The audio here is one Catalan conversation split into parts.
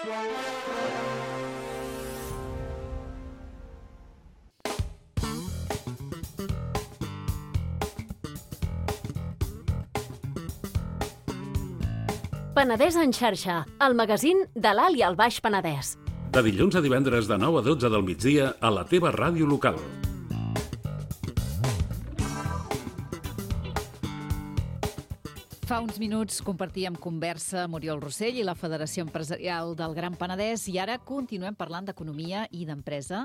Penedès en xarxa, el magazín de l'Alt i el Baix Penedès. De dilluns a divendres de 9 a 12 del migdia a la teva ràdio local. Fa uns minuts compartíem conversa amb Oriol Rossell i la Federació Empresarial del Gran Penedès i ara continuem parlant d'economia i d'empresa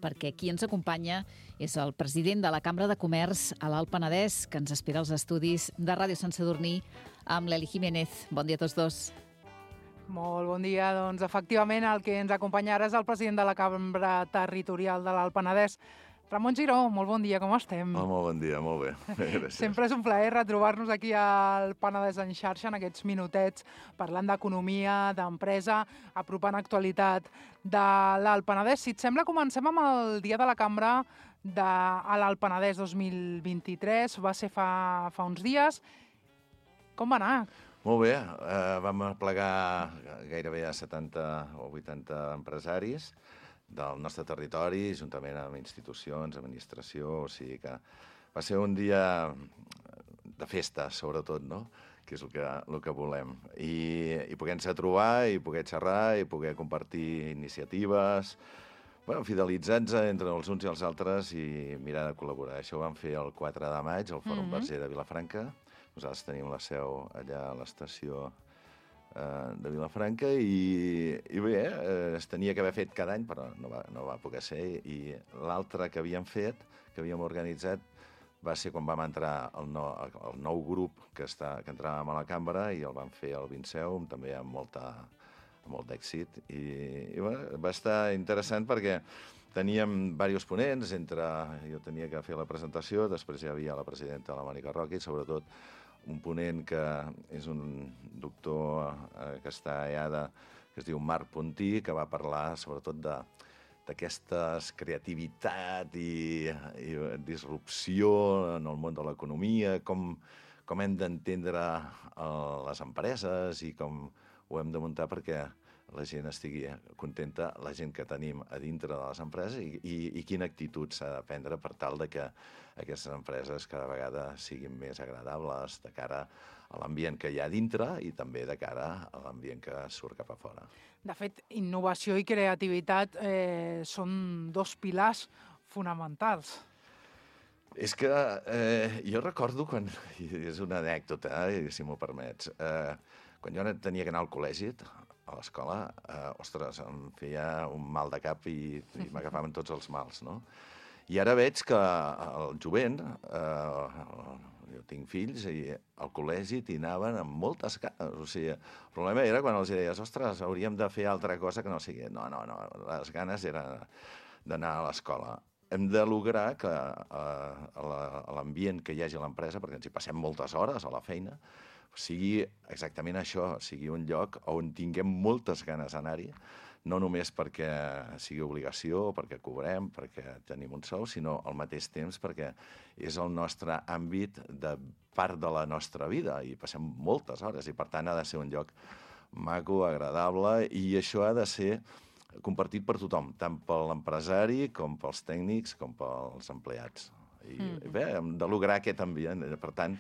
perquè qui ens acompanya és el president de la Cambra de Comerç a l'Alt Penedès que ens espera als estudis de Ràdio Sant Sadurní amb l'Eli Jiménez. Bon dia a tots dos. Molt bon dia. Doncs efectivament el que ens acompanya ara és el president de la Cambra Territorial de l'Alt Penedès, Ramon Giró. Molt bon dia, com estem? Molt bon dia, molt bé. Gràcies. Sempre és un plaer retrobar-nos aquí al Penedès en xarxa en aquests minutets parlant d'economia, d'empresa, apropant actualitat de l'Alt Penedès. Si et sembla, comencem amb el Dia de la Cambra de l'Alt Penedès 2023. Va ser fa uns dies. Com va anar? Molt bé, vam aplegar gairebé a 70 o 80 empresaris del nostre territori, juntament amb institucions, administració, o sigui que va ser un dia de festa, sobretot, no? Que és el que volem. I poder-nos trobar, i poder xerrar, i poder compartir iniciatives, fidelitzats entre els uns i els altres i mirar de col·laborar. Això ho vam fer el 4 de maig, al Fòrum Verger de Vilafranca. Nosaltres tenim la seu allà a l'estació de Vilafranca i bé, es tenia que haver fet cada any, però no va poder ser. I l'altre que havíem fet, que havíem organitzat, va ser quan vam entrar el nou grup que entràvem a la cambra i el vam fer al Vinceum, també amb molt d'èxit. I va estar interessant perquè teníem diversos ponents, jo tenia que fer la presentació, després hi havia la presidenta, la Mònica Roca, i sobretot un ponent que és un doctor que està a EADA, que es diu Marc Puntí, que va parlar sobretot d'aquesta creativitat i disrupció en el món de l'economia, com hem d'entendre les empreses i com ho hem de muntar perquè la gent estigui contenta, la gent que tenim a dintre de les empreses i quina actitud s'ha de prendre per tal de que aquestes empreses cada vegada siguin més agradables de cara a l'ambient que hi ha dintre i també de cara a l'ambient que surt cap a fora. De fet, innovació i creativitat són dos pilars fonamentals. És que jo recordo quan, i és una anècdota, si m'ho permets, quan jo tenia que anar al col·legi, a l'escola, ostres, em feia un mal de cap i m'agafaven tots els mals, no? I ara veig que el jovent, jo tinc fills, i al col·legi t'hi anaven amb moltes ganes. O sigui, el problema era quan els deies, ostres, hauríem de fer altra cosa que no sigui. No, les ganes eren d'anar a l'escola. Hem de lograr que a l'ambient que hi hagi a l'empresa, perquè ens hi passem moltes hores a la feina, sigui exactament això, sigui un lloc on tinguem moltes ganes d'anar-hi, no només perquè sigui obligació, perquè cobrem, perquè tenim un sou, sinó al mateix temps perquè és el nostre àmbit de part de la nostra vida i passem moltes hores i per tant ha de ser un lloc maco, agradable i això ha de ser compartit per tothom, tant per l'empresari com pels tècnics com pels empleats. I bé, hem de lograr aquest ambient. Per tant,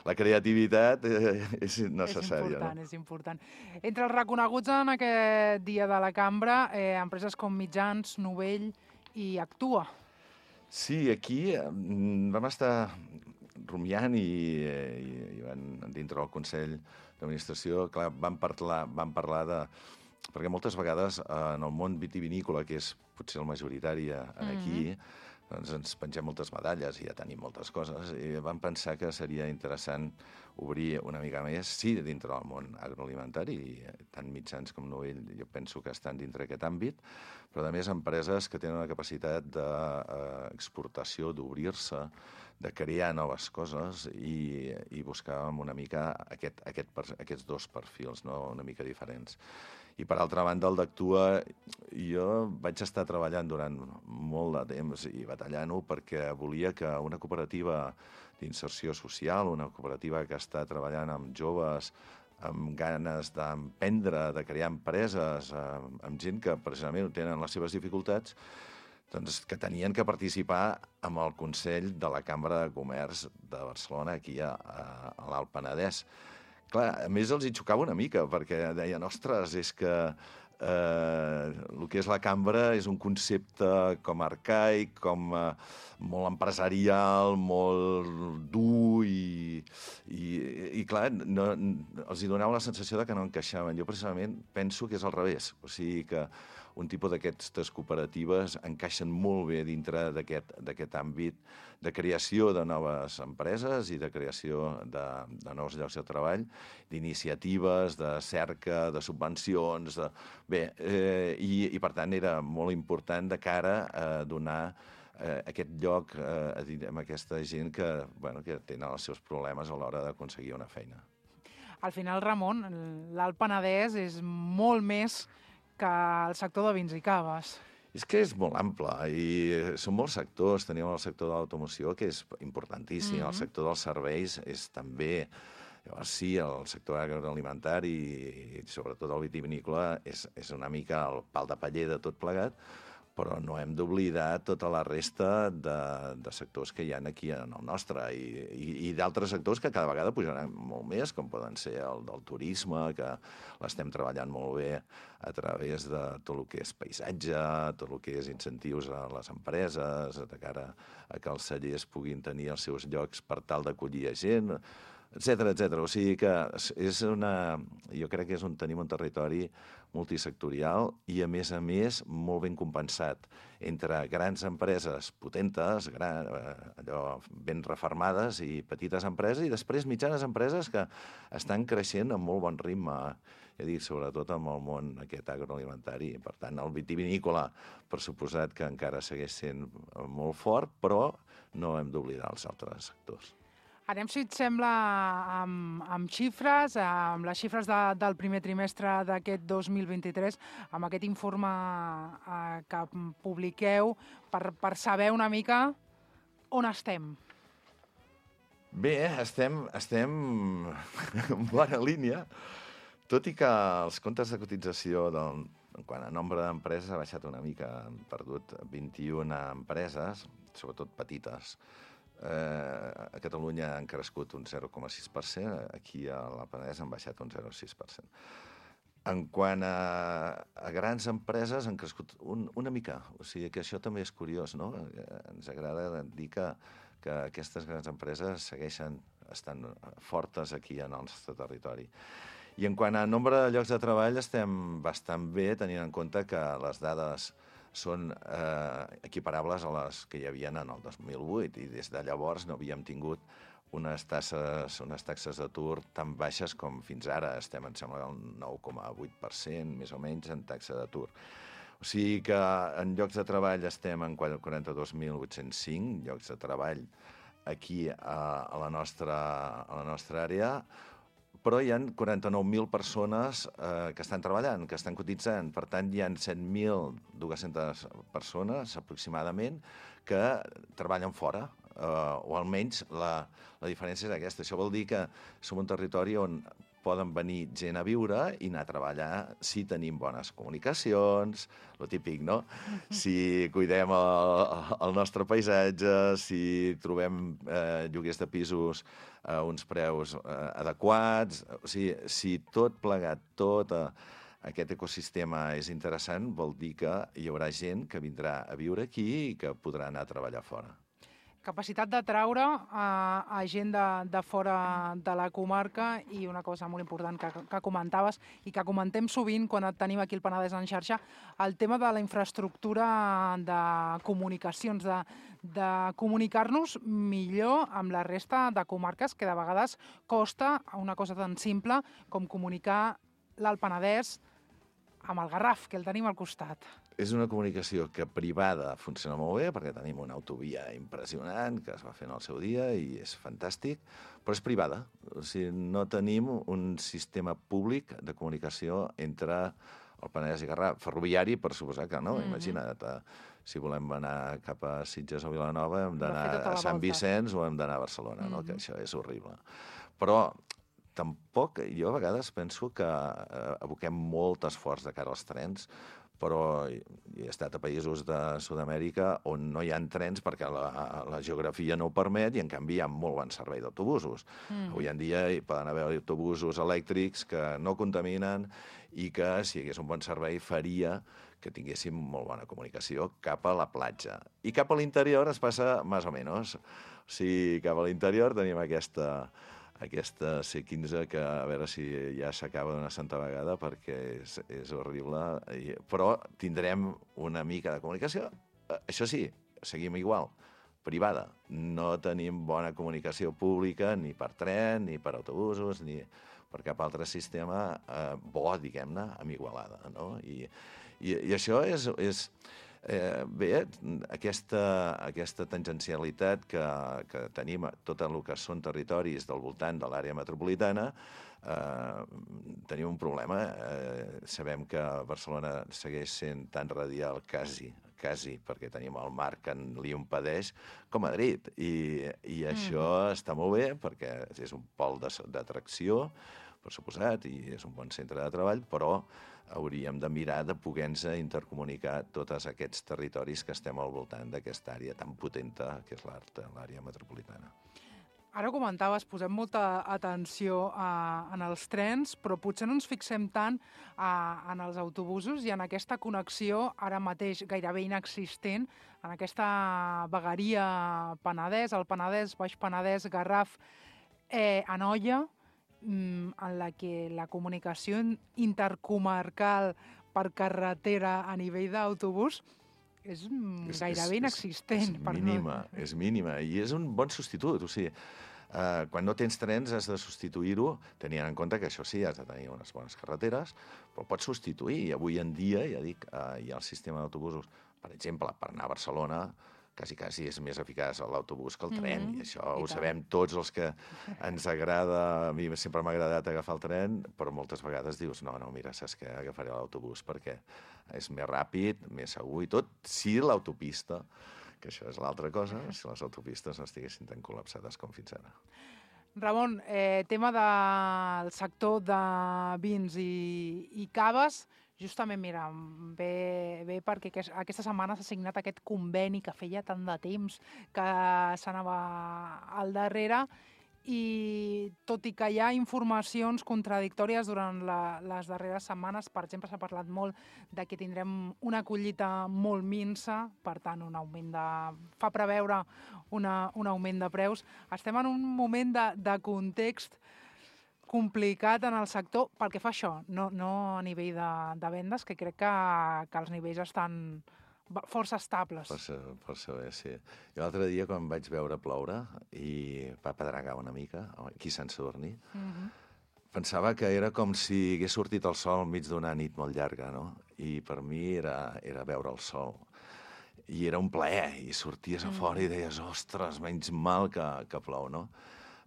la creativitat és necessària. És important. Entre els reconeguts en aquest dia de la cambra, empreses com Mitjans, Novell i Actua. Sí, aquí vam estar rumiant i dintre del Consell d'Administració, clar, vam parlar de... Perquè moltes vegades en el món vitivinícola, que és potser el majoritari aquí, doncs ens pengem moltes medalles i ja tenim moltes coses i vam pensar que seria interessant obrir una mica més, sí, dintre del món agroalimentari, tant Mitjans com Novell jo penso que estan dintre aquest àmbit, però a més empreses que tenen la capacitat d'exportació, d'obrir-se, de crear noves coses i buscàvem una mica aquests dos perfils, no? Una mica diferents. I, per altra banda, el d'Actua, jo vaig estar treballant durant molt de temps i batallant-ho perquè volia que una cooperativa d'inserció social, una cooperativa que està treballant amb joves amb ganes d'emprendre, de crear empreses, amb gent que precisament tenen les seves dificultats, doncs que tenien que participar amb el Consell de la Cambra de Comerç de Barcelona, aquí a l'Alt Penedès. Clar, a més els hi xocava una mica, perquè deien, ostres, és que el que és la cambra és un concepte com arcaic, com molt empresarial, molt dur i clar, els hi donava la sensació de que no encaixaven. Jo precisament penso que és al revés, o sigui que un tipus d'aquestes cooperatives encaixen molt bé dintre d'aquest àmbit de creació de noves empreses i de creació de nous llocs de treball, d'iniciatives, de cerca, de subvencions. I per tant era molt important de cara a donar aquest lloc a aquesta gent que tenen els seus problemes a l'hora d'aconseguir una feina. Al final, Ramon, l'Alt Penedès és molt més que el sector de vins i caves. És que és molt ample i són molts sectors. Tenim el sector de l'automoció, que és importantíssim, el sector dels serveis és també... Llavors sí, el sector agroalimentari i sobretot el vitivinícola és una mica el pal de paller de tot plegat, però no hem d'oblidar tota la resta de sectors que hi ha aquí en el nostre i d'altres sectors que cada vegada pujaran molt més, com poden ser el del turisme, que l'estem treballant molt bé a través de tot el que és paisatge, tot el que és incentius a les empreses, de cara a que els cellers puguin tenir els seus llocs per tal d'acollir gent, etcètera. O sigui que jo crec que tenim un territori multisectorial i, a més, molt ben compensat entre grans empreses potentes, allò ben refermades, i petites empreses, i després mitjanes empreses que estan creixent amb molt bon ritme, sobretot amb el món aquest agroalimentari. Per tant, el vitivinícola, per suposat que encara segueix sent molt fort, però no hem d'oblidar els altres sectors. Anem, si et sembla, amb xifres, amb les xifres del primer trimestre d'aquest 2023, amb aquest informe que publiqueu, per saber una mica on estem. Bé, estem en bona línia, tot i que els comptes de cotització quant a nombre d'empreses ha baixat una mica, han perdut 21 empreses, sobretot petites. A Catalunya han crescut un 0,6%, aquí a l'Alt Penedès han baixat un 0,6%. En quant a grans empreses han crescut una mica, o sigui que això també és curiós, no? Ens agrada dir que aquestes grans empreses segueixen estant fortes aquí en el nostre territori. I en quant a nombre de llocs de treball estem bastant bé, tenint en compte que les dades són equiparables a les que hi havia en el 2008 i des de llavors no havíem tingut unes taxes d'atur tan baixes com fins ara. Estem, em sembla, al 9,8%, més o menys, en taxa d'atur. O sigui que en llocs de treball estem en 42.805 llocs de treball aquí a la nostra àrea, però hi ha 49.000 persones que estan treballant, que estan cotitzant. Per tant, hi ha 7.200 persones, aproximadament, que treballen fora, o almenys la diferència és aquesta. Això vol dir que som un territori on poden venir gent a viure i anar a treballar si tenim bones comunicacions, lo típic, no? Si cuidem el nostre paisatge, si trobem lloguers de pisos a uns preus adequats. O sigui, si tot plegat, tot aquest ecosistema és interessant, vol dir que hi haurà gent que vindrà a viure aquí i que podrà anar a treballar fora. Capacitat d'atraure a gent de fora de la comarca i una cosa molt important que comentaves i que comentem sovint quan et tenim aquí al Penedès en xarxa, el tema de la infraestructura de comunicacions, de comunicar-nos millor amb la resta de comarques, que de vegades costa una cosa tan simple com comunicar l'Alt Penedès amb el Garraf, que el tenim al costat. És una comunicació que privada funciona molt bé, perquè tenim una autovia impressionant que es va fer en el seu dia i és fantàstic, però és privada. O sigui, no tenim un sistema públic de comunicació entre el Penedès i Garraf. Ferroviari, per suposar que no. Imagina't, si volem anar cap a Sitges o Vilanova hem d'anar a Sant Vicenç o hem d'anar a Barcelona, no? Que això és horrible. Però tampoc, jo a vegades penso que aboquem molt esforç de cara als trens, però he estat a països de Sud-amèrica on no hi ha trens perquè la geografia no ho permet i, en canvi, hi ha molt bon servei d'autobusos. Avui en dia hi poden haver autobusos elèctrics que no contaminen i que, si hi hagués un bon servei, faria que tinguéssim molt bona comunicació cap a la platja. I cap a l'interior es passa més o menys. O sigui, cap a l'interior tenim aquesta C15 que a veure si ja s'acaba d'una santa vegada perquè és horrible, però tindrem una mica de comunicació. Això sí, seguim igual, privada. No tenim bona comunicació pública ni per tren, ni per autobusos, ni per cap altre sistema bo, diguem-ne, amb Igualada, no? I això és bé, aquesta tangencialitat que tenim a tot el que són territoris del voltant de l'àrea metropolitana, tenim un problema. Sabem que Barcelona segueix sent tan radial, quasi, perquè tenim el mar que li impedeix, com Madrid. I això està molt bé, perquè és un pol d'atracció, per suposat, i és un bon centre de treball, però hauríem de mirar de poder-nos intercomunicar tots aquests territoris que estem al voltant d'aquesta àrea tan potenta que és l'àrea metropolitana. Ara ho comentaves, posem molta atenció en els trens, però potser no ens fixem tant en els autobusos i en aquesta connexió ara mateix gairebé inexistent, en aquesta vegueria Penedès, el Penedès, Baix Penedès, Garraf, Anoia, en la que la comunicació intercomarcal per carretera a nivell d'autobús és gairebé inexistent. És mínima, i és un bon substitut. O sigui, quan no tens trens has de substituir-ho, tenint en compte que això sí, has de tenir unes bones carreteres, però pots substituir. I avui en dia, ja dic, hi ha el sistema d'autobusos, per exemple, per anar a Barcelona, quasi és més eficaç l'autobús que el tren, i això ho sabem tots els que ens agrada. A mi sempre m'ha agradat agafar el tren, però moltes vegades dius, no, mira, saps què, agafaré l'autobús perquè és més ràpid, més segur i tot, si l'autopista, que això és l'altra cosa, si les autopistes no estiguessin tan col·lapsades com fins ara. Ramon, tema del sector de vins i caves, justament, mira, bé perquè aquesta setmana s'ha signat aquest conveni que feia tant de temps que s'anava al darrere i tot i que hi ha informacions contradictòries durant les darreres setmanes, per exemple, s'ha parlat molt de que tindrem una collita molt minsa, per tant, fa preveure un augment de preus. Estem en un moment de context complicat en el sector pel que fa a això, no a nivell de vendes, que crec que els nivells estan força estables. Força bé, sí. Jo l'altre dia, quan vaig veure ploure i va pedregar una mica, aquí a Sant Sadurní, pensava que era com si hagués sortit el sol enmig d'una nit molt llarga, no? I per mi era veure el sol. I era un plaer, i sorties a fora i deies, ostres, menys mal que plou, no?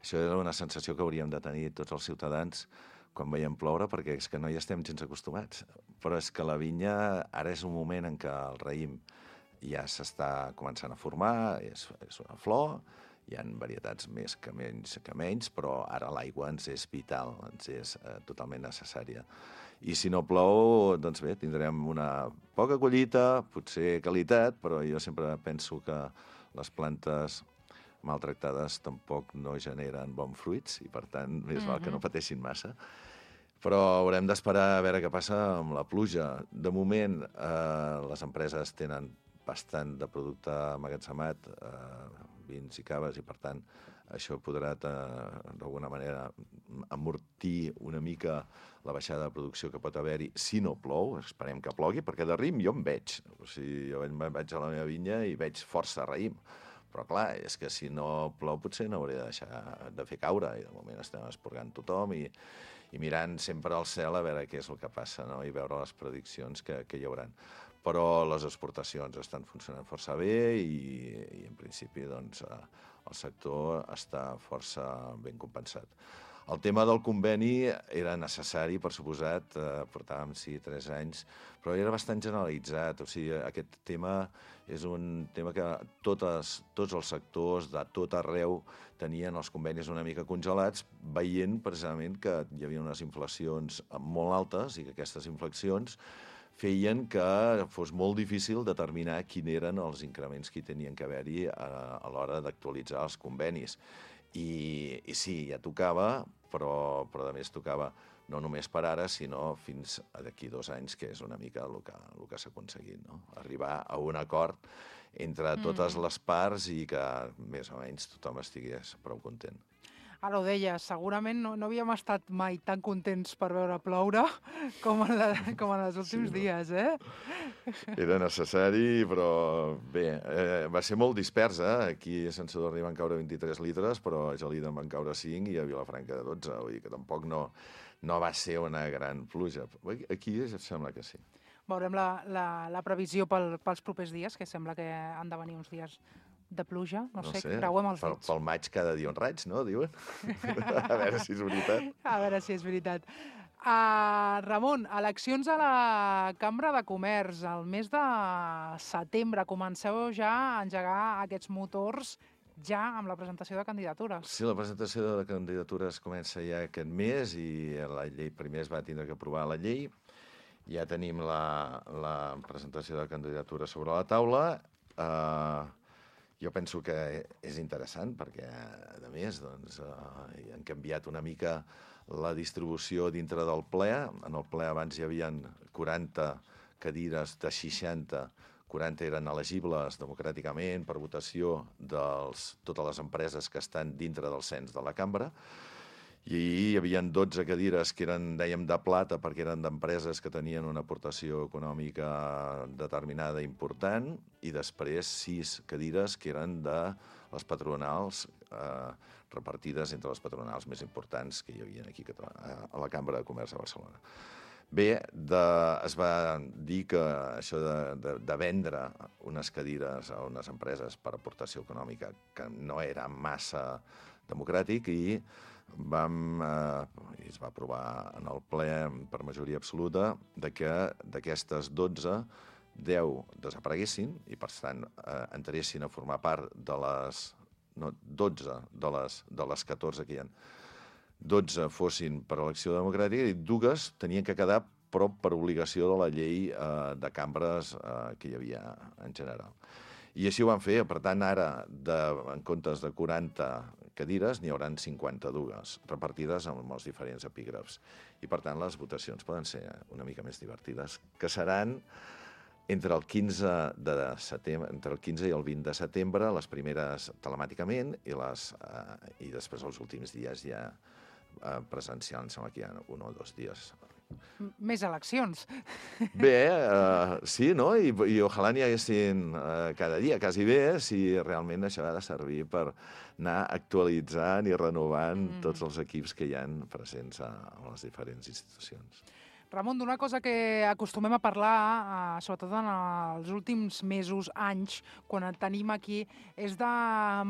Això era una sensació que hauríem de tenir tots els ciutadans quan veiem ploure, perquè és que no hi estem gens acostumats. Però és que la vinya ara és un moment en què el raïm ja s'està començant a formar, és una flor, hi ha varietats més que menys, però ara l'aigua ens és vital, ens és totalment necessària. I si no plou, doncs bé, tindrem una poca collita, potser qualitat, però jo sempre penso que les plantes maltractades tampoc no generen bons fruits i, per tant, més val que no pateixin massa. Però haurem d'esperar a veure què passa amb la pluja. De moment, les empreses tenen bastant de producte emmagatzemat, vins i caves, i, per tant, això podrà, d'alguna manera, amortir una mica la baixada de producció que pot haver-hi si no plou. Esperem que plogui, perquè de raïm jo en veig. O sigui, jo vaig a la meva vinya i veig força raïm. Però, clar, és que si no plou potser no hauré de deixar de fer caure, i de moment estem esporgant tothom i mirant sempre al cel a veure què és el que passa, no? I veure les prediccions que hi haurà. Però les exportacions estan funcionant força bé i en principi, doncs, el sector està força ben compensat. El tema del conveni era necessari, per suposat, portàvem, sí, 3 anys, però era bastant generalitzat. O sigui, aquest tema és un tema que tots els sectors de tot arreu tenien els convenis una mica congelats, veient precisament que hi havia unes inflacions molt altes i que aquestes inflacions feien que fos molt difícil determinar quins eren els increments que tenien que haver-hi a l'hora d'actualitzar els convenis. I sí, ja tocava, però a més tocava no només per ara, sinó fins d'aquí 2 anys, que és una mica el que s'ha aconseguit, no? Arribar a un acord entre totes les parts i que més o menys tothom estigués prou content. Ara ho deies, segurament no havíem estat mai tan contents per veure ploure com en els últims dies, eh? Era necessari, però bé, va ser molt dispers, eh? Aquí a Sant Sadurní van caure 23 litres, però a Gelida en van caure 5 i a Vilafranca 12, vull dir que tampoc no va ser una gran pluja. Aquí sembla que sí. Veurem la previsió pels propers dies, que sembla que han de venir uns dies de pluja, no sé, creuem els dits. Pel maig cada dia un raig, no?, diuen. A veure si és veritat. A veure si és veritat. Ramon, eleccions a la Cambra de Comerç. El mes de setembre comenceu ja a engegar aquests motors ja amb la presentació de candidatures. Sí, la presentació de candidatures comença ja aquest mes i la llei primer es va tindre que aprovar la llei. Ja tenim la presentació de candidatures sobre la taula. Jo penso que és interessant perquè, a més, han canviat una mica la distribució dintre del ple. En el ple abans hi havia 40 cadires de 60, 40 eren elegibles democràticament per votació de totes les empreses que estan dintre del cens de la cambra. I hi havia 12 cadires que eren, dèiem, de plata perquè eren d'empreses que tenien una aportació econòmica determinada important i després 6 cadires que eren de les patronals repartides entre les patronals més importants que hi havia aquí a la Cambra de Comerç de Barcelona. Bé, es va dir que això de vendre unes cadires a unes empreses per aportació econòmica que no era massa democràtic i es va aprovar en el ple per majoria absoluta que d'aquestes 12, 10 desapareguessin i, per tant, entressin a formar part de les 12 de les 14 que hi ha. 12 fossin per elecció democràtica i 2 tenien que quedar prop per obligació de la llei de cambres que hi havia en general. I així ho van fer. Per tant, ara, en comptes de 40 cadires, n'hi haurà 52, repartides amb els diferents epígrafs. I, per tant, les votacions poden ser una mica més divertides, que seran entre el 15 i el 20 de setembre, les primeres telemàticament, i després els últims dies ja presencial, em sembla que hi ha 1 o 2 dies. Més eleccions. Bé, sí, no? I ojalà n'hi haguessin cada dia, quasi bé, si realment això ha de servir per anar actualitzant i renovant tots els equips que hi ha presents a les diferents institucions. Ramon, d'una cosa que acostumem a parlar, sobretot en els últims mesos, anys, quan et tenim aquí, és de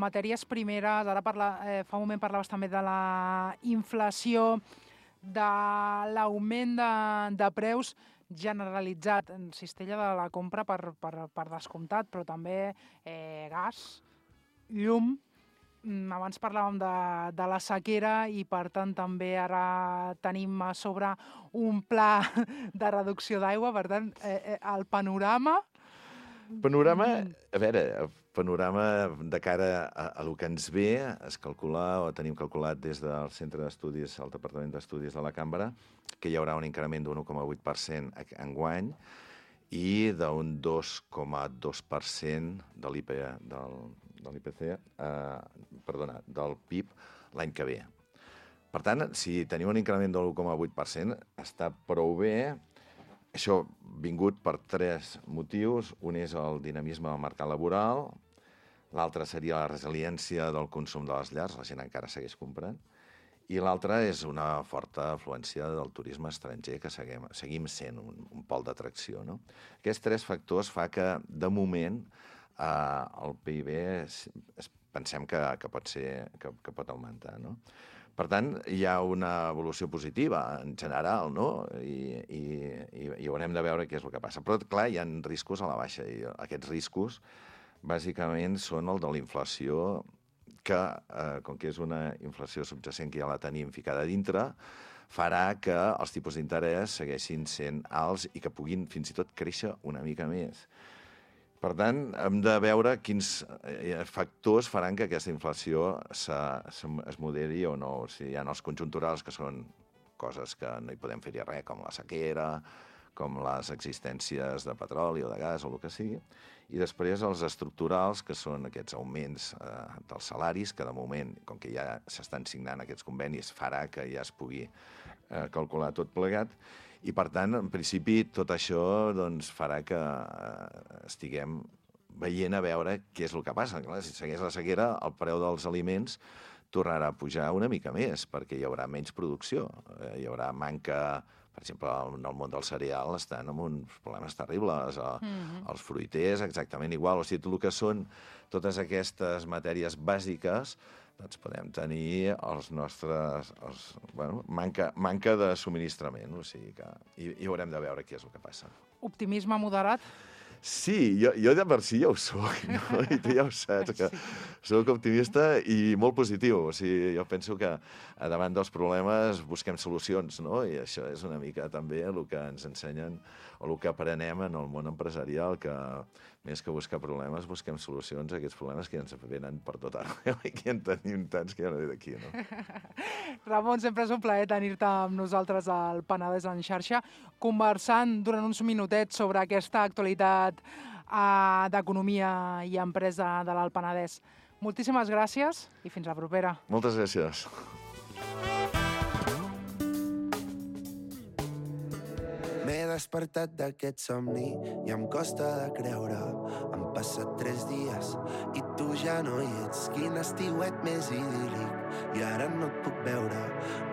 matèries primeres. Ara fa un moment parlaves també de la inflació, de l'augment de preus generalitzat en cistella de la compra per descomptat, però també gas, llum. Abans parlàvem de la sequera i, per tant, també ara tenim a sobre un pla de reducció d'aigua. Per tant, el panorama... A veure, panorama de cara a lo que ens ve, es calcula, o tenim calculat des del Centre d'Estudis, el Departament d'Estudis de la Cambra, que hi haurà un increment d'un 1,8% enguany i d'un 2,2% del PIB l'any que ve. Per tant, si tenim un increment de l'1,8%, està prou bé. Això vingut per 3 motius. Un és el dinamisme del mercat laboral, l'altre seria la resiliència del consum de les llars, la gent encara segueix comprant, i l'altre és una forta afluència del turisme estranger, que seguim sent un pol d'atracció, no? Aquests 3 factors fa que, de moment, el PIB pensem que pot augmentar, no? Per tant, hi ha una evolució positiva en general, no? I haurem de veure què és el que passa. Però, clar, hi ha riscos a la baixa, i aquests riscos, bàsicament, són el de la inflació, que, com que és una inflació subjacent que ja la tenim ficada dintre, farà que els tipus d'interès segueixin sent alts i que puguin fins i tot créixer una mica més. Per tant, hem de veure quins factors faran que aquesta inflació es moderi o no. O sigui, hi ha els conjunturals, que són coses que no hi podem fer-hi res, com la sequera, com les existències de petroli o de gas o el que sigui. I després els estructurals, que són aquests augments dels salaris, que de moment, com que ja s'estan signant aquests convenis, farà que ja es pugui calcular tot plegat. I, per tant, en principi, tot això farà que estiguem veient a veure què és el que passa. Clar, si segueix la sequera, el preu dels aliments tornarà a pujar una mica més, perquè hi haurà menys producció. Hi haurà manca, per exemple, en el món del cereal estan amb uns problemes terribles. Els fruiters, exactament igual. O sigui, tot el que són totes aquestes matèries bàsiques, doncs podem tenir els nostres... manca de subministrament, o sigui que... I haurem de veure què és el que passa. Optimisme moderat? Sí, jo de per si ja ho soc, no? I tu ja ho saps, que soc optimista i molt positiu. O sigui, jo penso que davant dels problemes busquem solucions, no? I això és una mica també el que ens ensenyen o el que aprenem en el món empresarial, que més que buscar problemes, busquem solucions a aquests problemes que ens venen per tot arreu i que en tenim tants que ja no ve d'aquí, no? Ramon, sempre és un plaer tenir-te amb nosaltres al Penedès en xarxa, conversant durant uns minutets sobre aquesta actualitat d'economia i empresa de l'Alt Penedès. Moltíssimes gràcies i fins la propera. Moltes gràcies. M'he despertat d'aquest somni i em costa de creure. Han passat 3 dies i tu ja no hi ets. Quin estiuet més idíl·lic i ara no et puc veure.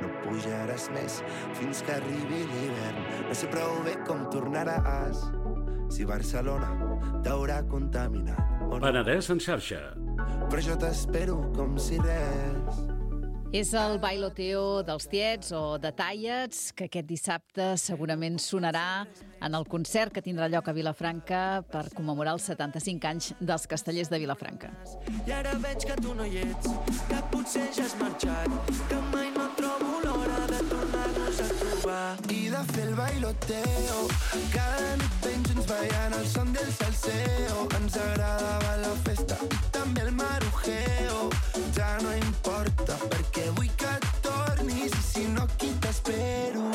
No pujaràs més fins que arribi l'hivern. No sé prou bé com tornaràs si Barcelona t'haurà contaminat o no. Penedès en xarxa. Però jo t'espero com si res. És el bailoteo dels tiets o de tallets, que aquest dissabte segurament sonarà en el concert que tindrà lloc a Vilafranca per commemorar els 75 anys dels Castellers de Vilafranca. I ara veig que tu no hi ets, que potser ja has marxat, que mai no trobo l'hora de tornar-nos a trobar. I de fer el bailoteo, cada nit ben junts ballant el son del salseo. Ens agradava la festa i també el marujeo. Ja no importa perquè vull que tornis i si no aquí t'espero.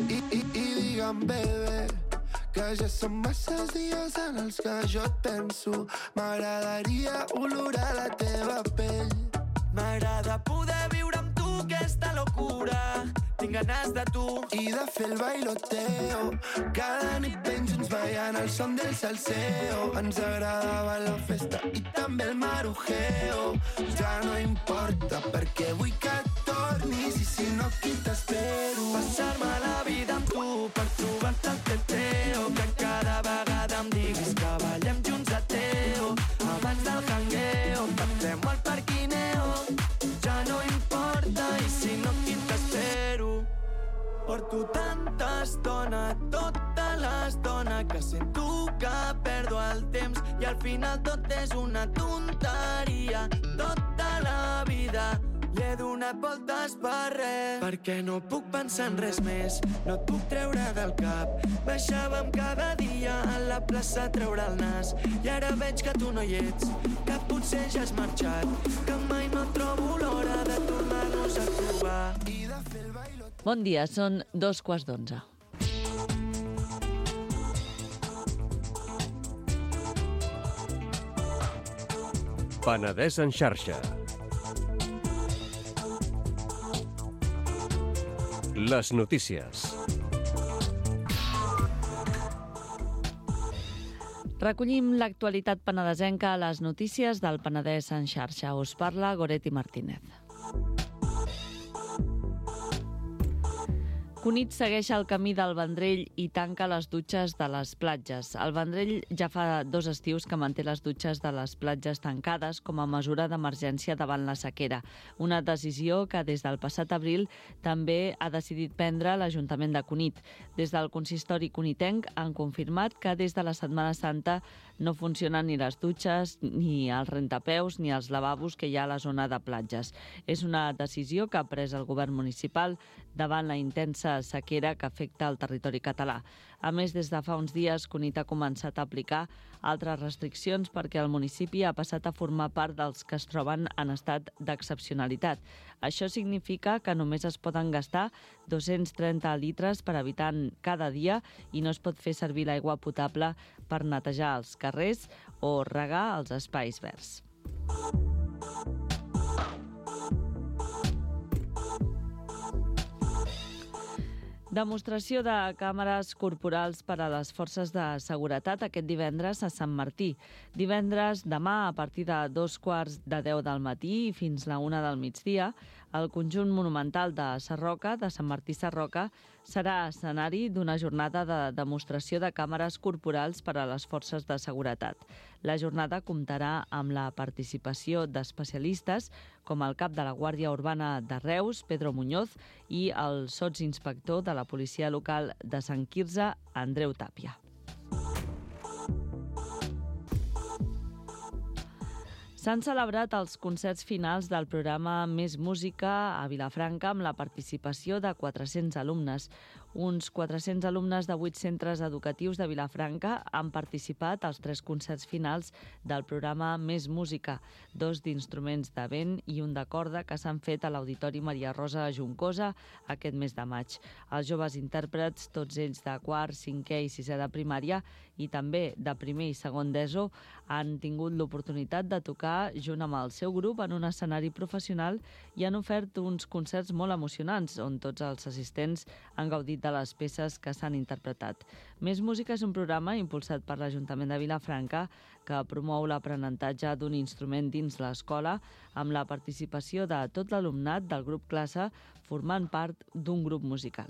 I digue'm, bebè, que ja són masses dies en els que jo et penso. M'agradaria olorar la teva pell. M'agrada poder viure amb tu aquesta locura. Tinc ganes de tu. I de fer el bailoteo, cada nit ben junts ballant el son del salseo. Ens agradava la festa i també el marujeo. Ja no importa perquè vull que tornis i si no aquí t'espero. Passar-me la vida amb tu per trobar-te el teteo. Que cada vegada em diguis que ballem junts a teo. Abans del jangueo, pactem al parquineo. Ja no importa i si no aquí t'espero. Porto tanta estona, tota l'estona, que sento que perdo el temps i al final tot és una tonteria. Tota la vida li he donat voltes per res, perquè no puc pensar en res més, no et puc treure del cap. Baixàvem cada dia a la plaça a treure el nas i ara veig que tu no hi ets, que potser ja has marxat, que mai no trobo l'hora de tornar-nos a trobar. Bon dia, són 11:15. Penedès en xarxa. Les notícies. Recollim l'actualitat penedesenca a les notícies del Penedès en xarxa. Us parla Goretti Martínez. Cunit segueix el camí del Vendrell i tanca les dutxes de les platges. El Vendrell ja fa 2 estius que manté les dutxes de les platges tancades com a mesura d'emergència davant la sequera. Una decisió que des del passat abril també ha decidit prendre l'Ajuntament de Cunit. Des del consistori cunitenc han confirmat que des de la Setmana Santa no funcionen ni les dutxes, ni els rentapeus, ni els lavabos que hi ha a la zona de platges. És una decisió que ha pres el govern municipal davant la intensa sequera que afecta el territori català. A més, des de fa uns dies, Cunit ha començat a aplicar altres restriccions perquè el municipi ha passat a formar part dels que es troben en estat d'excepcionalitat. Això significa que només es poden gastar 230 litres per habitant cada dia i no es pot fer servir l'aigua potable per netejar els carrers o regar els espais verds. Demostració de càmeres corporals per a les forces de seguretat aquest divendres a Sant Martí. Divendres, demà, a partir de 2:15 del matí i fins la 1 del migdia, el conjunt monumental de Sarroca, de Sant Martí Sarroca, serà escenari d'una jornada de demostració de càmeres corporals per a les forces de seguretat. La jornada comptarà amb la participació d'especialistes com el cap de la Guàrdia Urbana de Reus, Pedro Muñoz, i el sotsinspector de la policia local de Sant Quirze, Andreu Tàpia. S'han celebrat els concerts finals del programa Més Música a Vilafranca amb la participació de 400 alumnes. Uns 400 alumnes de 8 centres educatius de Vilafranca han participat als 3 concerts finals del programa Més Música, 2 d'instruments de vent i un de corda que s'han fet a l'Auditori Maria Rosa Juncosa aquest mes de maig. Els joves intèrprets, tots ells de quart, 5è i 6è de primària i també de primer i segon d'ESO, han tingut l'oportunitat de tocar junt amb el seu grup en un escenari professional i han ofert uns concerts molt emocionants on tots els assistents han gaudit de les peces que s'han interpretat. Més Música és un programa impulsat per l'Ajuntament de Vilafranca que promou l'aprenentatge d'un instrument dins l'escola amb la participació de tot l'alumnat del grup classe formant part d'un grup musical.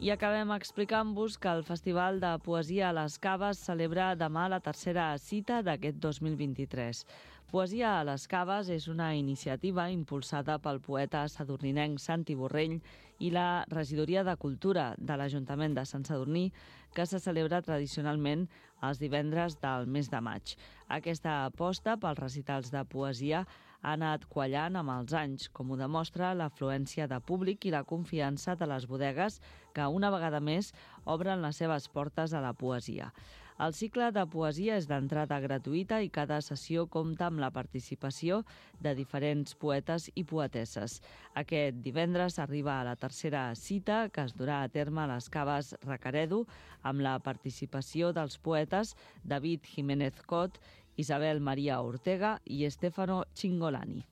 I acabem explicant-vos que el Festival de Poesia a les Caves celebra demà la 3a cita d'aquest 2023. Poesia a les Caves és una iniciativa impulsada pel poeta sadurninenc Santi Borrell i la Regidoria de Cultura de l'Ajuntament de Sant Sadurní, que se celebra tradicionalment els divendres del mes de maig. Aquesta aposta pels recitals de poesia ha anat quallant amb els anys, com ho demostra l'afluència de públic i la confiança de les bodegues que una vegada més obren les seves portes a la poesia. El cicle de poesia és d'entrada gratuïta i cada sessió compta amb la participació de diferents poetes i poetesses. Aquest divendres arriba a la 3a cita que es durà a terme a les Caves Recaredo amb la participació dels poetes David Jiménez Cot, Isabel María Ortega i Stefano Cingolani.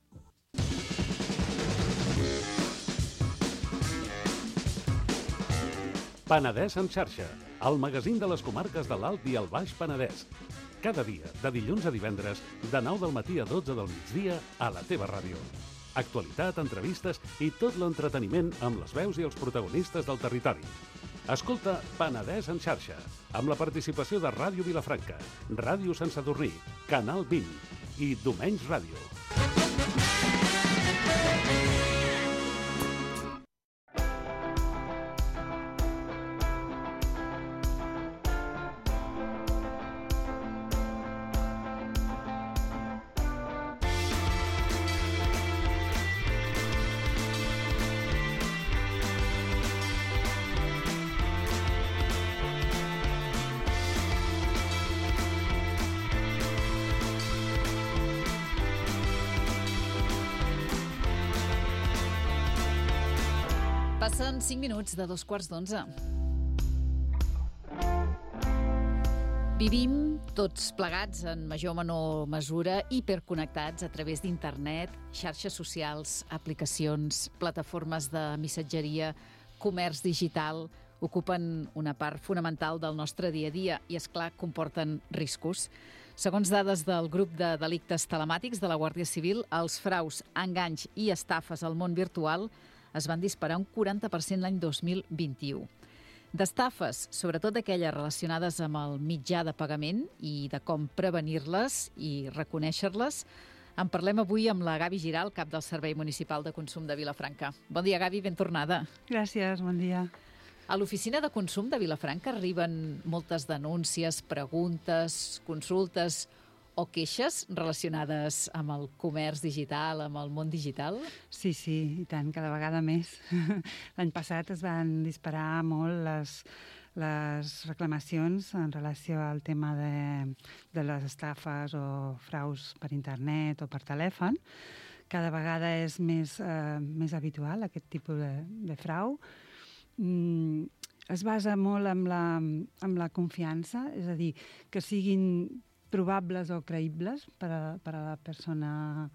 Penedès en xarxa, el magazín de les comarques de l'Alt i el Baix Penedès. Cada dia, de dilluns a divendres, de 9 del matí a 12 del migdia, a la teva ràdio. Actualitat, entrevistes i tot l'entreteniment amb les veus i els protagonistes del territori. Escolta Penedès en xarxa, amb la participació de Ràdio Vilafranca, Ràdio Sant Sadurní, Canal 20 i Domenys Ràdio. Passen 5 minuts de 2:15. Vivim tots plegats en major o menor mesura hiperconnectats a través d'internet, xarxes socials, aplicacions, plataformes de missatgeria, comerç digital, ocupen una part fonamental del nostre dia a dia i, és clar, comporten riscos. Segons dades del grup de delictes telemàtics de la Guàrdia Civil, els fraus, enganys i estafes al món virtual es van disparar un 40% l'any 2021. D'estafes, sobretot aquelles relacionades amb el mitjà de pagament i de com prevenir-les i reconèixer-les, en parlem avui amb la Gavi Giral, cap del Servei Municipal de Consum de Vilafranca. Bon dia, Gavi, ben tornada. Gràcies, bon dia. A l'oficina de consum de Vilafranca arriben moltes denúncies, preguntes, consultes o queixes relacionades amb el comerç digital, amb el món digital? Sí, i tant, cada vegada més. L'any passat es van disparar molt les reclamacions en relació al tema de les estafes o fraus per internet o per telèfon. Cada vegada és més habitual aquest tipus de frau. Es basa molt en la confiança, és a dir, que siguin probables o creïbles per a la persona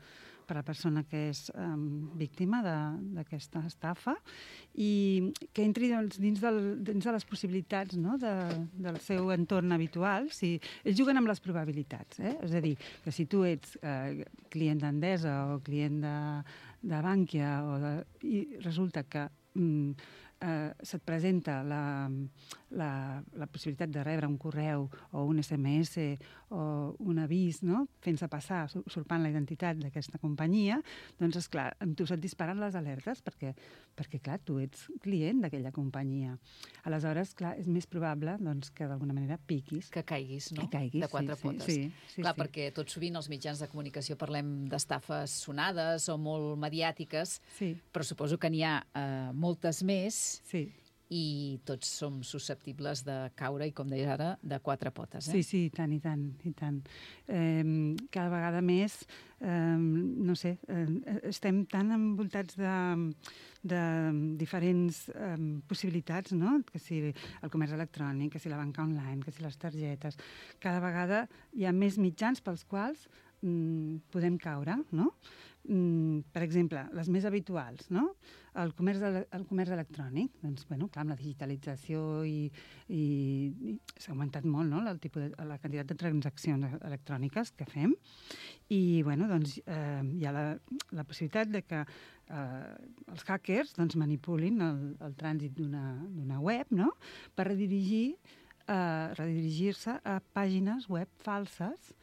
que és víctima d'aquesta estafa i que entri dins de les possibilitats, no?, del seu entorn habitual. Ells juguen amb les probabilitats, és a dir, que si tu ets client d'Endesa o client de Bankia i resulta que se't presenta la possibilitat de rebre un correu o un SMS o un avís, no?, fent-se passar, usurpant la identitat d'aquesta companyia, doncs, esclar, amb tu se't disparen les alertes perquè, clar, tu ets client d'aquella companyia. Aleshores, clar, és més probable que d'alguna manera piquis. Que caiguis, no? Que caiguis, de quatre potes. Sí. Clar, perquè tot sovint als mitjans de comunicació parlem d'estafes sonades o molt mediàtiques, però suposo que n'hi ha moltes més. Sí. I tots som susceptibles de caure, i com deies ara, de quatre potes. Sí, i tant. Cada vegada més, no sé, estem tan envoltats de diferents possibilitats, no?, que si el comerç electrònic, que si la banca online, que si les targetes. Cada vegada hi ha més mitjans pels quals podem caure, no? Per exemple, les més habituals, no? El comerç electrònic, doncs, bueno, clar, amb la digitalització i s'ha augmentat molt, no?, la quantitat de transaccions electròniques que fem i, bueno, doncs, hi ha la possibilitat de que els hackers, doncs, manipulin el trànsit d'una web, no?, per redirigir-se a pàgines web falses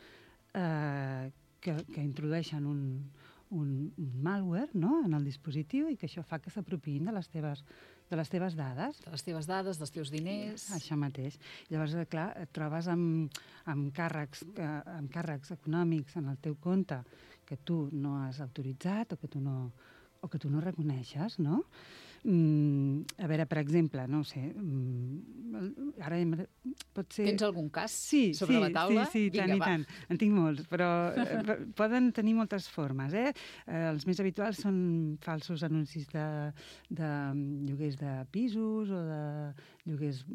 que introdueixen un malware, no?, en el dispositiu i que això fa que s'apropiïn de les teves dades. De les teves dades, dels teus diners. Això mateix. Llavors, clar, et trobes amb càrrecs econòmics en el teu compte que tu no has autoritzat o que tu no reconeixes, no? A veure, per exemple, no ho sé, ara pot ser... Tens algun cas sobre la taula? Sí, tant i tant. En tinc molts, però poden tenir moltes formes, Els més habituals són falsos anuncis de lloguers de pisos o de lloguers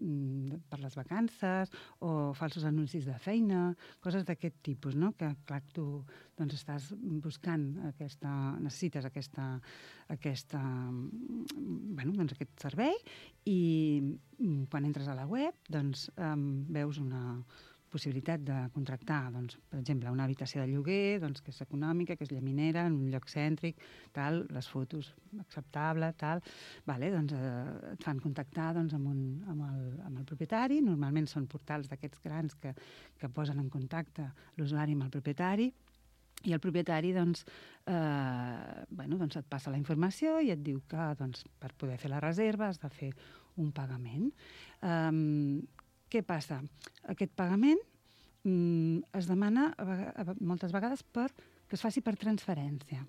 per les vacances o falsos anuncis de feina, coses d'aquest tipus, no? Que, clar, tu estàs buscant necessites aquest servei i quan entres a la web veus una possibilitat de contractar, per exemple, una habitació de lloguer que és econòmica, que és llaminera, en un lloc cèntric, tal, les fotos acceptable, tal. Et fan contactar amb el propietari. Normalment són portals d'aquests grans que posen en contacte l'usuari amb el propietari i el propietari et passa la informació i et diu que per poder fer la reserva has de fer un pagament. Què passa? Aquest pagament es demana moltes vegades que es faci per transferència.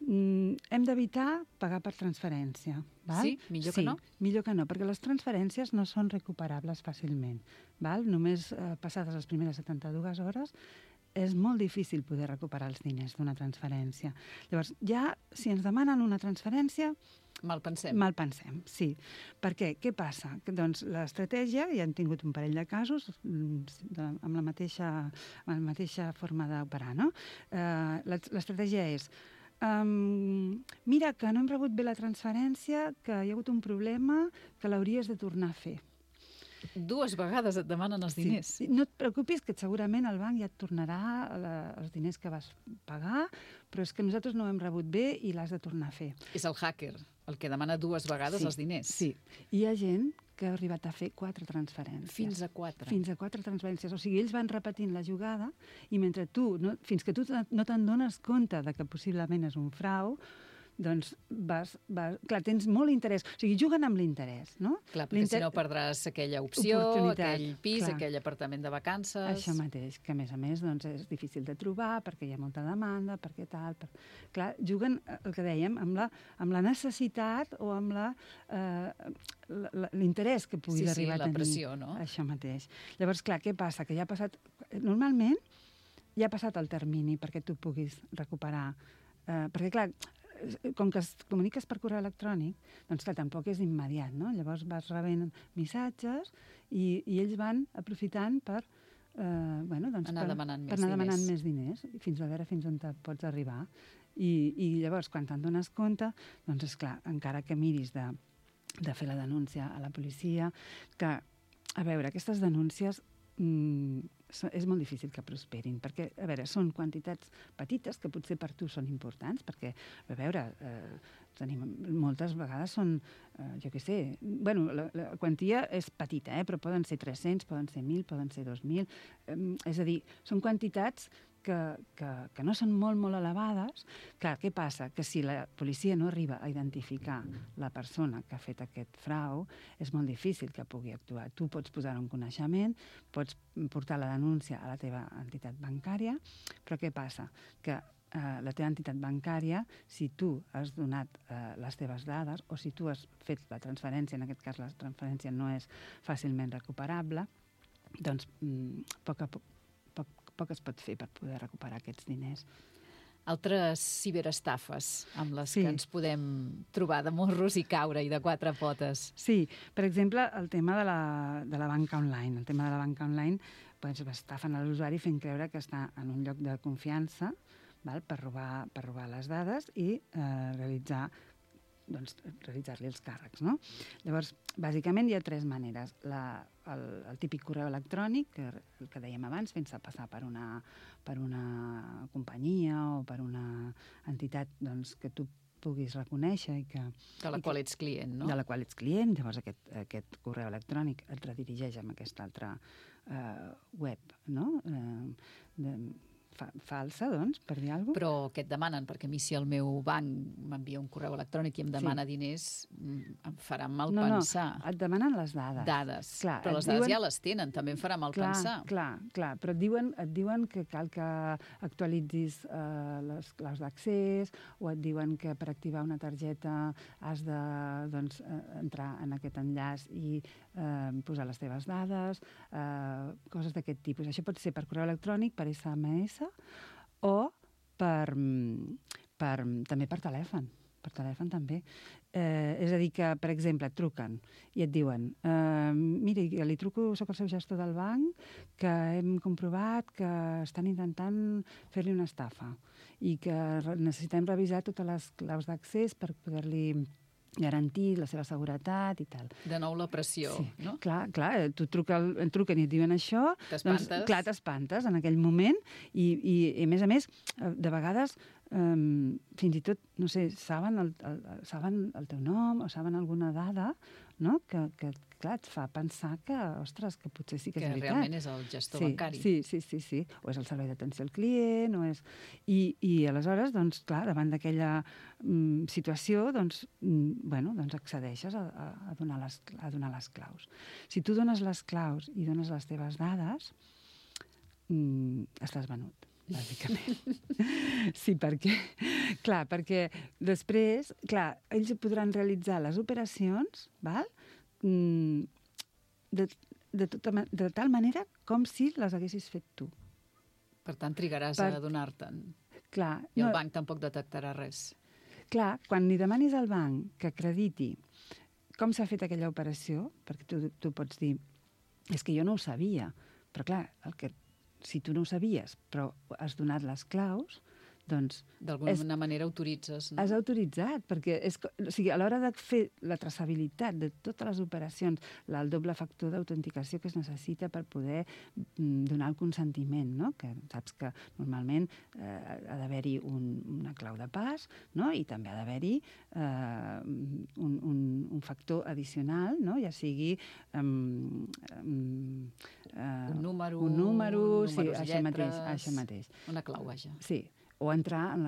Hem d'evitar pagar per transferència. Sí? Millor que no? Sí, millor que no, perquè les transferències no són recuperables fàcilment. Només passades les primeres 72 hores és molt difícil poder recuperar els diners d'una transferència. Llavors, ja, si ens demanen una transferència... Malpensem, sí. Per què? Què passa? Doncs l'estratègia, ja hem tingut un parell de casos amb la mateixa forma d'operar, no? L'estratègia és mira, que no hem rebut bé la transferència, que hi ha hagut un problema, que l'hauries de tornar a fer. 2 vegades et demanen els diners. Sí. No et preocupis, que segurament el banc ja et tornarà els diners que vas pagar, però és que nosaltres no ho hem rebut bé i l'has de tornar a fer. És el hacker el que demana 2 vegades els diners. Sí. Hi ha gent que ha arribat a fer 4 transferències. Fins a 4. Fins a 4 transferències. O sigui, ells van repetint la jugada i mentre tu, fins que tu no te'n dones compte de que possiblement és un frau, doncs clar, tens molt interès. O sigui, juguen amb l'interès, no? Clar, perquè si no perdràs aquella opció, aquell pis, aquell apartament de vacances... Això mateix, que a més doncs, és difícil de trobar perquè hi ha molta demanda, perquè tal... Clar, juguen, el que dèiem, amb la necessitat o amb l'interès que puguis arribar a tenir. Sí, la pressió, no? Això mateix. Llavors, clar, què passa? Que ja ha passat... Normalment ja ha passat el termini perquè tu puguis recuperar... Perquè, clar, com que es comuniques per correu electrònic, doncs clar, tampoc és immediat, no? Llavors vas rebent missatges i ells van aprofitant per anar demanant més diners, fins a veure fins on pots arribar. I llavors, quan te'n dones compte, doncs és clar, encara que miris de fer la denúncia a la policia, que, a veure, aquestes denúncies és molt difícil que prosperin, perquè, a veure, són quantitats petites que potser per tu són importants, perquè, a veure, moltes vegades són, jo què sé, bueno, la quantia és petita, però poden ser 300, poden ser 1.000, poden ser 2.000, és a dir, són quantitats que no són molt, molt elevades. Clar, què passa? Que si la policia no arriba a identificar la persona que ha fet aquest frau, és molt difícil que pugui actuar. Tu pots posar un coneixement, pots portar la denúncia a la teva entitat bancària, però què passa? Que la teva entitat bancària, si tu has donat les teves dades o si tu has fet la transferència, en aquest cas la transferència no és fàcilment recuperable, doncs poc es pot fer per poder recuperar aquests diners. Altres ciberestafes amb les que ens podem trobar de morros i caure i de 4 potes. Sí, per exemple, el tema de la banca online. El tema de la banca online, doncs, estafen a l'usuari fent creure que està en un lloc de confiança, per robar les dades i realitzar-li els càrrecs, no? Llavors, bàsicament hi ha 3 maneres. El típic correu electrònic, el que dèiem abans, fent-se passar per una companyia o per una entitat que tu puguis reconèixer i que... De la qual ets client, no? De la qual ets client. Llavors aquest correu electrònic et redirigeix amb aquesta altra web, no? Falsa, doncs, per dir alguna cosa. Però què et demanen? Perquè a mi si el meu banc m'envia un correu electrònic i em demana diners, em farà mal pensar. No, et demanen les dades. Dades. Clar, però les dades ja les tenen, també em farà mal pensar. Clar, però et diuen que cal que actualitzis les claus d'accés o et diuen que per activar una targeta has de entrar en aquest enllaç i posar les teves dades, coses d'aquest tipus. Això pot ser per correu electrònic, per SMS o també per telèfon. Per telèfon també. És a dir, que, per exemple, et truquen i et diuen miri, li truco, soc el seu gestor del banc, que hem comprovat que estan intentant fer-li una estafa i que necessitem revisar totes les claus d'accés per poder-li garantir la seva seguretat i tal. De nou la pressió, sí. No? Clar, et truquen i et diuen això. T'espantes. Doncs, clar, t'espantes en aquell moment i a més, de vegades, fins i tot, no sé, saben el teu nom o saben alguna dada, no? Que clar, et fa pensar que, ostres, que potser sí que és veritat. Que realment és el gestor bancari. Sí. O és el servei d'atenció al client, o és... I aleshores, doncs, clar, davant d'aquella situació, doncs accedeixes a donar les claus. Si tu dones les claus i dones les teves dades, estàs venut, bàsicament. Sí, perquè després, clar, ells podran realitzar les operacions, val? De tal manera com si les haguessis fet tu. Per tant, trigaràs a adonar-te'n. Clar. I el banc tampoc detectarà res. Clar, quan li demanis al banc que acrediti com s'ha fet aquella operació, perquè tu pots dir, és que jo no ho sabia, però clar, si tu no ho sabies, però has donat les claus, doncs... D'alguna manera autoritzes, no? Has autoritzat, perquè a l'hora de fer la traçabilitat de totes les operacions, el doble factor d'autenticació que es necessita per poder donar el consentiment, no? Que saps que normalment ha d'haver-hi una clau de pas, no? I també ha d'haver-hi un factor addicional, no? Ja sigui un número, sí, lletres, això mateix. Una clau, vaja. Sí, o entrar en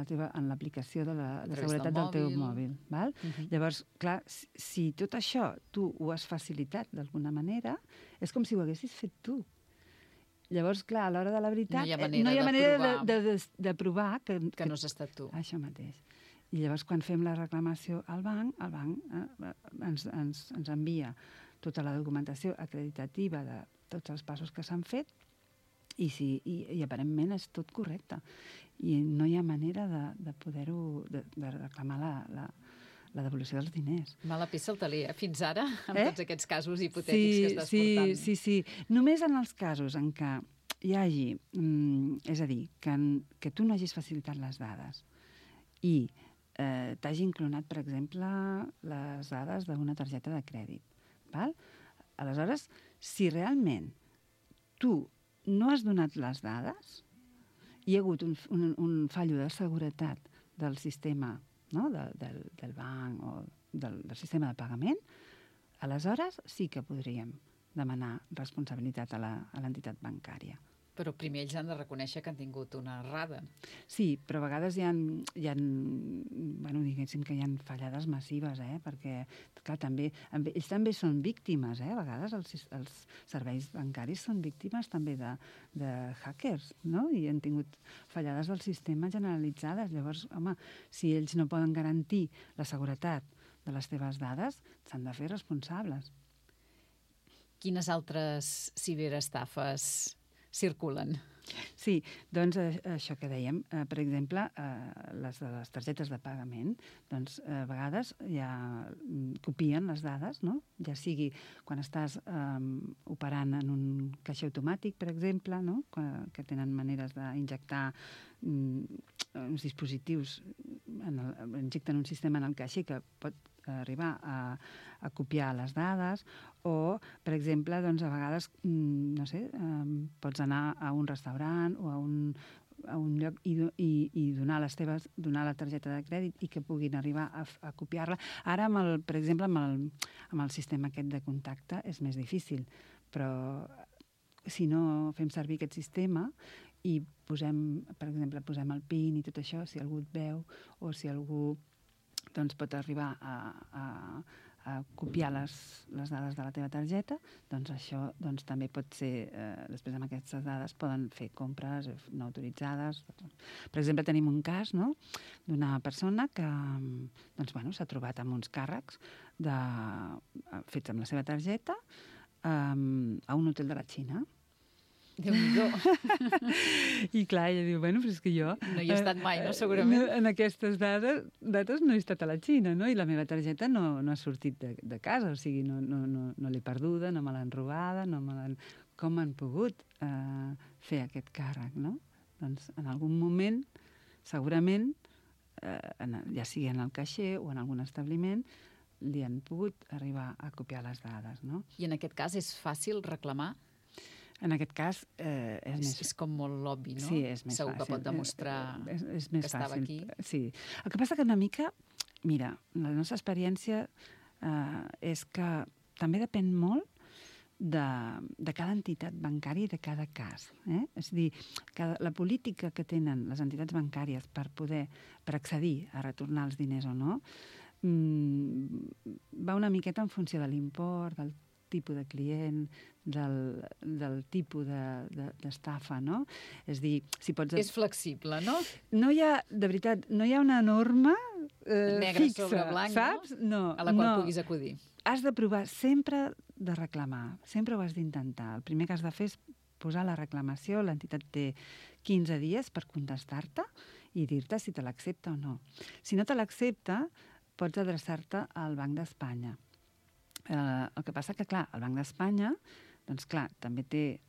l'aplicació de seguretat del teu mòbil. Val? Llavors, clar, si tot això tu ho has facilitat d'alguna manera, és com si ho haguessis fet tu. Llavors, clar, a l'hora de la veritat... No hi ha manera de provar que no has estat tu. Això mateix. I llavors, quan fem la reclamació al banc, el banc ens envia tota la documentació acreditativa de tots els passos que s'han fet i aparentment és tot correcte. I no hi ha manera de poder-ho, de reclamar la devolució dels diners. Mala peça al taler, fins ara, amb tots aquests casos hipotètics que estàs portant. Sí. Només en els casos en què hi hagi, és a dir, que tu no hagis facilitat les dades i t'hagi inclonat, per exemple, les dades d'una targeta de crèdit. Val? Aleshores, si realment tu no has donat les dades, hi ha hagut un fallo de seguretat del sistema, no? del banc o del sistema de pagament, aleshores sí que podríem demanar responsabilitat a l'entitat bancària. Però primer ells han de reconèixer que han tingut una errada. Sí, però a vegades hi ha diguéssim que hi ha fallades massives, perquè, clar, ells també són víctimes, a vegades els serveis bancaris són víctimes també de hackers, no? I han tingut fallades del sistema generalitzades. Llavors, home, si ells no poden garantir la seguretat de les teves dades, s'han de fer responsables. Quines altres ciberestafes circulen? Sí, doncs això que dèiem, per exemple, les de les targetes de pagament, doncs a vegades ja copien les dades, no? Ja sigui quan estàs operant en un caixer automàtic, per exemple, no? Que tenen maneres d'injectar uns dispositius, injecten un sistema en el caixer que pot arribar a copiar les dades, o, per exemple, doncs, a vegades, no sé, pots anar a un restaurant o a un lloc i donar la targeta de crèdit i que puguin arribar a copiar-la. Ara, per exemple, amb el sistema aquest de contacte és més difícil, però si no fem servir aquest sistema i posem, per exemple, el PIN i tot això, si algú et veu o si algú doncs pot arribar a copiar les dades de la teva targeta, doncs això també pot ser, després amb aquestes dades poden fer compres no autoritzades. Per exemple, tenim un cas, no?, d'una persona que s'ha trobat amb uns càrrecs fets amb la seva targeta a un hotel de la Xina. Déu-n'hi-do. I clar, ella diu, però és que jo... No hi he estat mai, no, segurament? En aquestes dates no he estat a la Xina, no? I la meva targeta no ha sortit de casa, o sigui, no l'he perduda, no me l'han robada, com han pogut fer aquest càrrec, no? Doncs en algun moment, segurament, ja sigui en el caixer o en algun establiment, li han pogut arribar a copiar les dades, no? I en aquest cas és fàcil reclamar? En aquest cas és com molt obvi, no? Sí, és més Segur fàcil. Que pot demostrar que estava aquí. Sí. El que passa que una mica, mira, la nostra experiència és que també depèn molt de cada entitat bancària i de cada cas. És a dir, la política que tenen les entitats bancàries per accedir a retornar els diners o no va una miqueta en funció de l'import, del tipus de client, del tipus d'estafa, no? És dir, si pots... És flexible, no? No hi ha, de veritat, no hi ha una norma negre fixa, sobre blanc, saps? No, a la qual puguis acudir. Has de provar sempre de reclamar, sempre ho has d'intentar. El primer que has de fer és posar la reclamació, l'entitat té 15 dies per contestar-te i dir-te si te l'accepta o no. Si no te l'accepta, pots adreçar-te al Banc d'Espanya. El que passa que, clar, el Banc d'Espanya, doncs clar, també té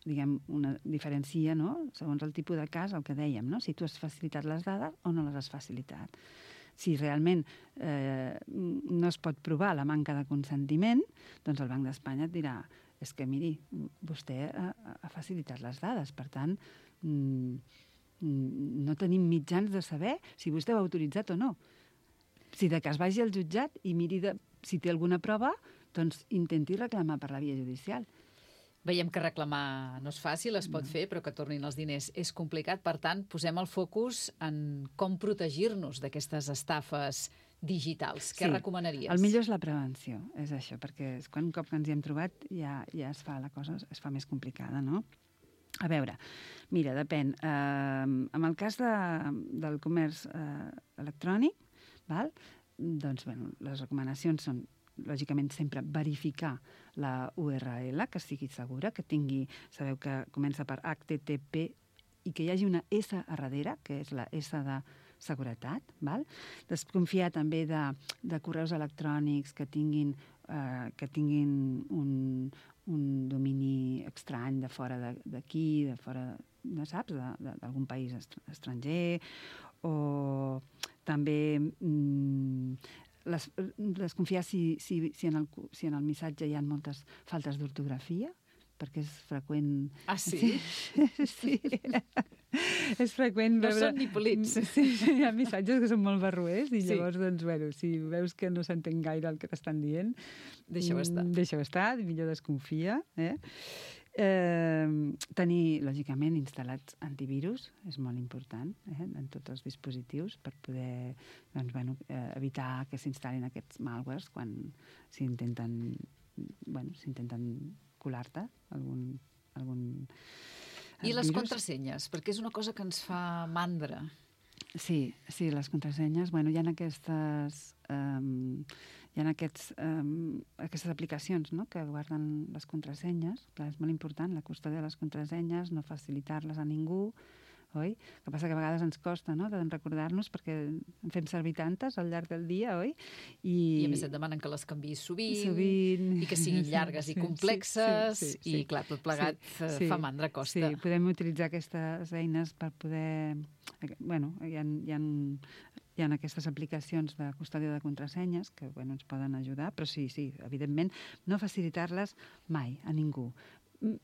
diguem, diferencia, no?, segons el tipus de cas, el que dèiem, no?, si tu has facilitat les dades o no les has facilitat. Si realment no es pot provar la manca de consentiment, doncs el Banc d'Espanya et dirà, és que, miri, vostè ha facilitat les dades, per tant, no tenim mitjans de saber si vostè ho ha autoritzat o no. Si de cas vagi al jutjat i miri si té alguna prova, doncs intenti reclamar per la via judicial. Veiem que reclamar no és fàcil, es pot fer, però que tornin els diners és complicat. Per tant, posem el focus en com protegir-nos d'aquestes estafes digitals. Què recomanaries? El millor és la prevenció, és això, perquè un cop que ens hi hem trobat ja la cosa es fa més complicada, no? A veure, mira, depèn. En el cas del comerç electrònic, doncs, les recomanacions són, lògicament, sempre verificar la URL, que sigui segura, que tingui, sabeu que comença per HTTP i que hi hagi una S a darrere, que és la S de seguretat. Desconfiar també de correus electrònics que tinguin un domini estrany de fora d'aquí, de fora, saps, d'algun país estranger, o també desconfiar si en el missatge hi ha moltes faltes d'ortografia, perquè és freqüent... Ah, sí? Sí. És freqüent veure... No són ni polits. Sí, hi ha missatges que són molt barroers i llavors, doncs, si veus que no s'entén gaire el que t'estan dient... Deixa-ho estar. Deixa-ho estar, millor desconfia. Tenir, lògicament, instal·lats antivirus és molt important en tots els dispositius per poder evitar que s'instal·lin aquests malwares quan s'intenten colar-te algun I les contrasenyes, perquè és una cosa que ens fa mandra. Sí, les contrasenyes, hi ha aquestes aplicacions que guarden les contrasenyes. Clar, és molt important la custòdia de les contrasenyes, no facilitar-les a ningú, oi? El que passa que a vegades ens costa, no?, de recordar-nos perquè en fem servir tantes al llarg del dia, oi? I a més et demanen que les canviïs sovint i que siguin llargues i complexes i, clar, tot plegat fa mandra, costa. Sí, podem utilitzar aquestes eines per poder... Hi ha aquestes aplicacions de custòdia de contrasenyes que ens poden ajudar, però sí, evidentment, no facilitar-les mai a ningú.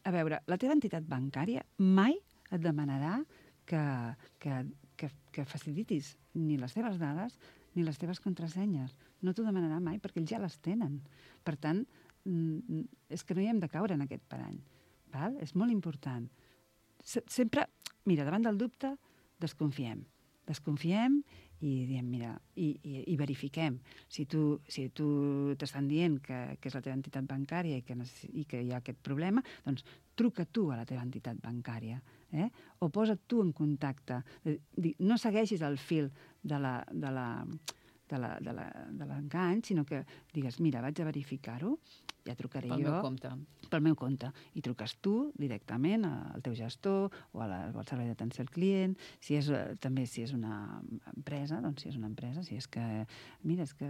A veure, la teva entitat bancària mai et demanarà que facilitis ni les teves dades ni les teves contrasenyes. No t'ho demanarà mai perquè ells ja les tenen. Per tant, és que no hi hem de caure en aquest parany. És molt important. Sempre, mira, davant del dubte, desconfiem i diem, mira, i verifiquem. Si tu t'estan dient que és la teva entitat bancària i que hi ha aquest problema, doncs truca tu a la teva entitat bancària, o posa't tu en contacte. No segueixis el fil de l'engany, sinó que digues, mira, vaig a verificar-ho, ja trucaré jo. Pel meu compte. I truques tu directament al teu gestor o al servei d'atenció al client. També si és una empresa, doncs si és una empresa, si és que, mira, és que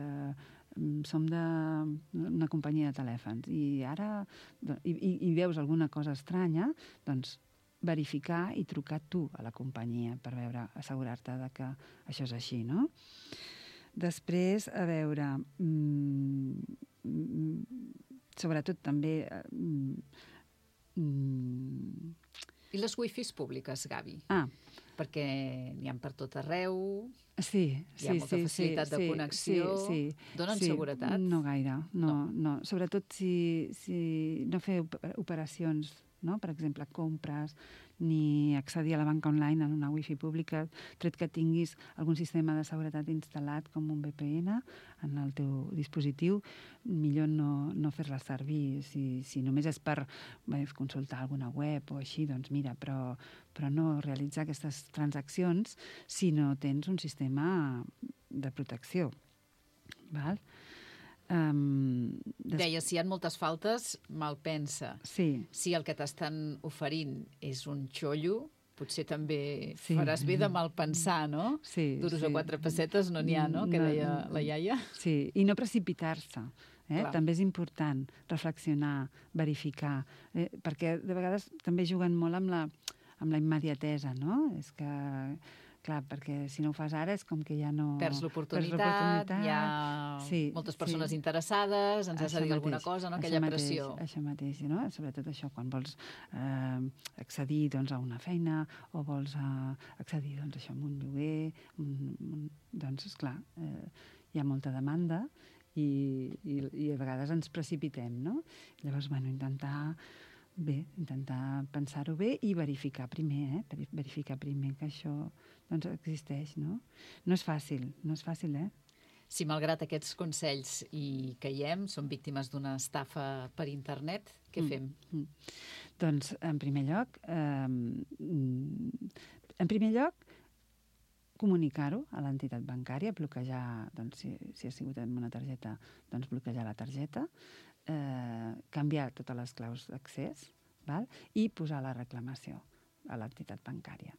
som d'una companyia de telèfons i ara i veus alguna cosa estranya, doncs verificar i trucar tu a la companyia per veure, assegurar-te que això és així, no? Després, a veure, sobretot també... I les wifis públiques, Gavi? Perquè n'hi ha per tot arreu, hi ha molta facilitat de connexió, donen seguretat? No gaire, no. Sobretot si no fer operacions, per exemple, compres, ni accedir a la banca online en una wifi pública, tret que tinguis algun sistema de seguretat instal·lat com un VPN en el teu dispositiu, millor no fer-la servir. Si només és per consultar alguna web o així, doncs mira, però no realitzar aquestes transaccions si no tens un sistema de protecció. Val? Deia, si hi ha moltes faltes, mal pensa. Sí. Si el que t'estan oferint és un xollo, potser també faràs bé de mal pensar, no? Sí. Duros a 4 pessetes no n'hi ha, no? Que deia la iaia. Sí, i no precipitar-se. També és important reflexionar, verificar, perquè de vegades també juguen molt amb la immediatesa, no? És que, clar, perquè si no ho fas ara és com que ja no... Perds l'oportunitat, hi ha moltes persones interessades, ens has de dir alguna cosa, no? Aquella pressió. Això mateix, no? Sobretot això, quan vols accedir a una feina o vols accedir a un lloguer, doncs, esclar, hi ha molta demanda i a vegades ens precipitem, no? Llavors, intentar pensar-ho bé i verificar primer, verificar primer que això existeix, no? No és fàcil, Si malgrat aquests consells hi caiem, som víctimes d'una estafa per internet, què fem? Doncs, en primer lloc, comunicar-ho a l'entitat bancària, bloquejar, si ha sigut amb una targeta, doncs bloquejar la targeta, canviar totes les claus d'accés i posar la reclamació a l'entitat bancària.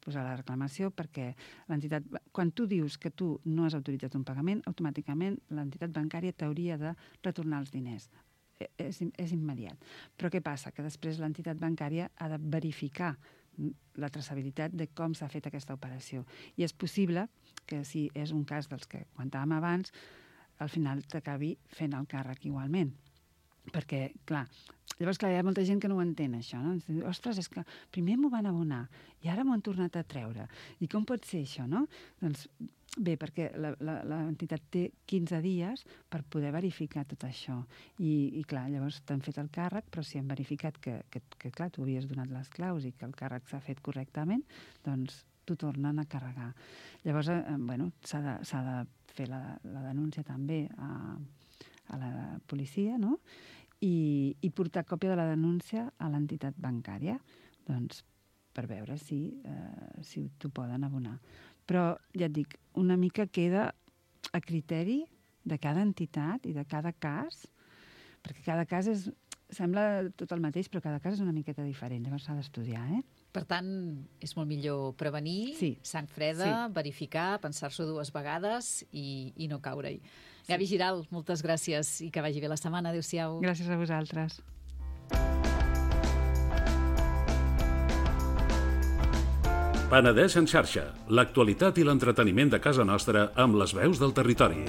Posar la reclamació perquè l'entitat, quan tu dius que tu no has autoritzat un pagament, automàticament l'entitat bancària t'hauria de retornar els diners. És immediat. Però què passa? Que després l'entitat bancària ha de verificar la traçabilitat de com s'ha fet aquesta operació. I és possible que, si és un cas dels que comentàvem abans, al final t'acabi fent el càrrec igualment. Perquè, clar, llavors hi ha molta gent que no ho entén, això, no? Ostres, és que primer m'ho van abonar i ara m'ho han tornat a treure. I com pot ser això, no? Doncs bé, perquè l'entitat té 15 dies per poder verificar tot això. I clar, llavors t'han fet el càrrec, però si han verificat que clar, tu havies donat les claus i que el càrrec s'ha fet correctament, doncs t'ho tornen a carregar. Llavors, s'ha de fer la denúncia també a la policia, no? I portar còpia de la denúncia a l'entitat bancària, doncs, per veure si t'ho poden abonar. Però, ja et dic, una mica queda a criteri de cada entitat i de cada cas, perquè cada cas sembla tot el mateix, però cada cas és una miqueta diferent, llavors s'ha d'estudiar, Per tant, és molt millor prevenir, sang freda, verificar, pensar-s'ho 2 vegades i no caure-hi. Gavi Giral, moltes gràcies i que vagi bé la setmana. Adéu-siau. Gràcies a vosaltres. Penedès en xarxa, l'actualitat i l'entreteniment de casa nostra amb les veus del territori.